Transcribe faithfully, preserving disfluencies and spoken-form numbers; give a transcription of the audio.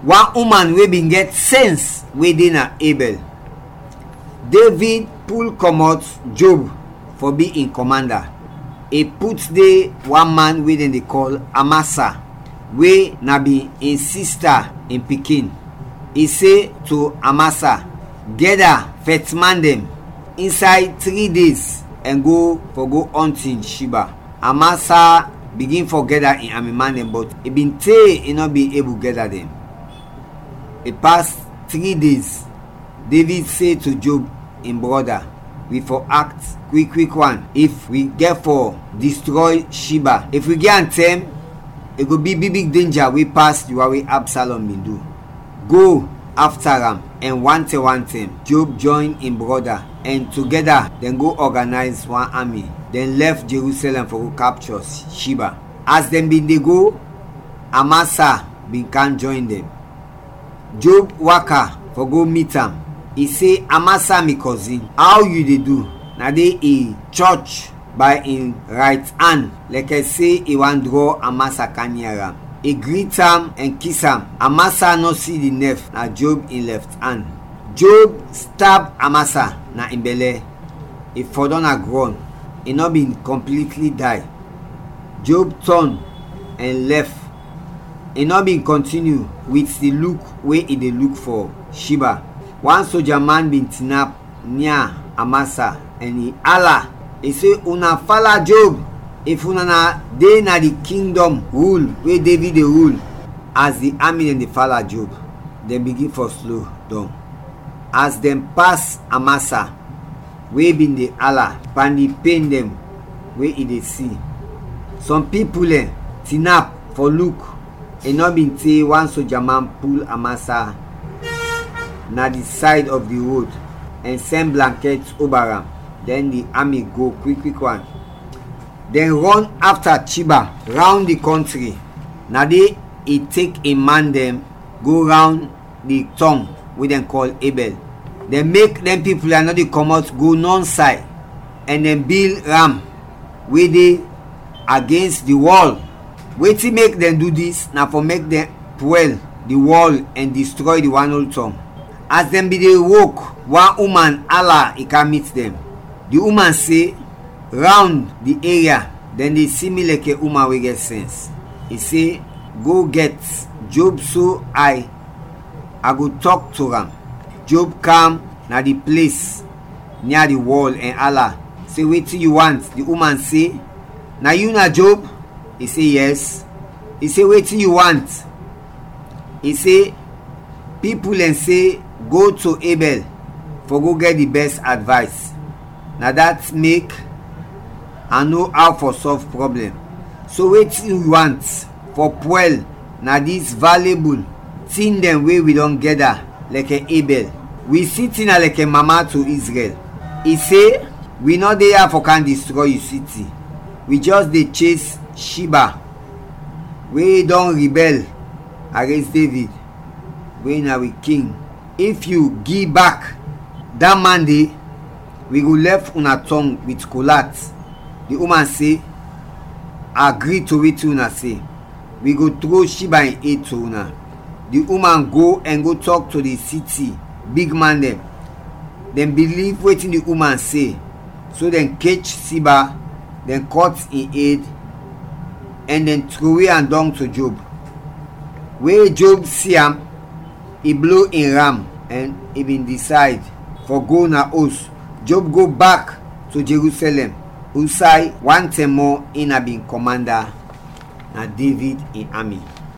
Wan uman we bin gɛt sɛns we de na Ebɛl. Devid pul kɔmɔt Job fɔ bi in kɔmanda. I put de wan man we dɛn de kɔl Amasa, we na bin in sista in pikin. I se to Amasa, "Gɛda fɛtman dɛn insay tri days ɛn go fɔ go ɔntin Shiba." Amasa bigin fɔ gɛda in ami man dɛn, bɔt i bin te i nɔ bin ebul gɛda dɛn. I pas tri days, Devid se to Job in brɔda, "Wi fɔ akt kwik kwik wan if wi gɛt fɔ distrɔy Shiba. If wi gi am tɛm, i go bi big big denja we pas di wan we Absalɔm bin du. Go afta am, ɛn wantɛm wantɛm Job jɔyn in brɔda, ɛn togɛda dɛn go ɔganayz wan ami. Dɛn lɛf Jerusɛlɛm fɔ go kapchɔ Shiba. As dɛn bin de go, Amasa bin kam jɔyn dɛn. Job waka fɔ go mit am. I se, 'Amasa, mi kɔzin, aw yu de du?' Na de i chɔch bay in rayt an, lɛkɛ se i want drɔ Amasa kam nia am. I grit am ɛn kis am. Amasa nɔ si di nɛf na Job in lɛft an. Job stab Amasa na in bɛlɛ. I fɔdɔm na grɔn. I nɔ bin kɔmplitli day. Job tɔn ɛn lɛf. I nɔ bin kɔntiniw wit di luk we i de luk fɔ Shiba. Wan soja man bin tinap nia Amasa ɛn i ala, i se, "Una fala Job! If una na de na di kingdɔm rul we Devid de rul!" As di ami dɛn de fala Job, dɛn bigin fɔ slo dɔng. As dɛn pas Amasa, we bin de ala pan di pen dɛn we i de si, sɔm pipul dɛn tinap fɔ luk. I nɔ bin te wan soja man pul Amasa na di sayd ɔf di rod ɛn sɛn blankɛt oba am. Dɛn di ami go kwik kwik wan. Dɛn rɔn afta Chiba rawn di kɔntri. Na de i tek in man dɛn go rawn di tɔng we dɛn kɔl Ebɛl. Dɛn mek dɛn pipul ya nɔ de kɔmɔt go nɔnsay, ɛn dɛn bil ram we de agens di wɔl. Wetin mek dɛn du dis na fɔ mek dɛn pwɛl di wɔl ɛn distrɔy di wan ol tɔng. As dɛn bin de wok, wan uman ala i kam mit dɛn. Di uman se, "Rawn di eria dɛn de si mi lɛkɛ uman we gɛt sɛns." I se, "Go gɛt Job so ay, a go tɔk to am." Job kam na di ples nia di wɔl ɛn ala, se, "Wetin yu want?" Di uman se, "Na yu na Job?" I se, "Yɛs." I se, "Wetin yu want?" I se, "Pipul dɛn se go to Ebɛl fɔ go gɛt di bɛs advays. Na dat mek a no aw fɔ sɔlv pwoblɛm. So wetin wi want fɔ pwɛl na dis valebul tin dɛn we wi dɔn gɛda lɛkɛ Ebɛl. Wi siti na lɛkɛ mama to Izrɛl. I se, wi nɔ de ya fɔ kam distrɔy yu siti. Wi jɛs de ches Shiba, we dɔn ribɛl agens Devid, we na wi king. If yu gi bak da man de, wi go lɛf una tɔng wit kol at." Di uman se, "A gri to wetin una se. Wi go tro Shiba in ed to una." Di uman go ɛn go tɔk to di siti bigman dɛn. Dɛn biliv wetin di uman se, so dɛn kech Shiba, dɛn kɔt in ed, ɛn dɛn trowe am dɔng to Job. We Job si am, i blo in ram ɛn i bin disayd fɔ go na os. Job go bak to Jerusɛlɛm, usay wan tɛm mɔ in na bin kɔmanda na Devid in ami.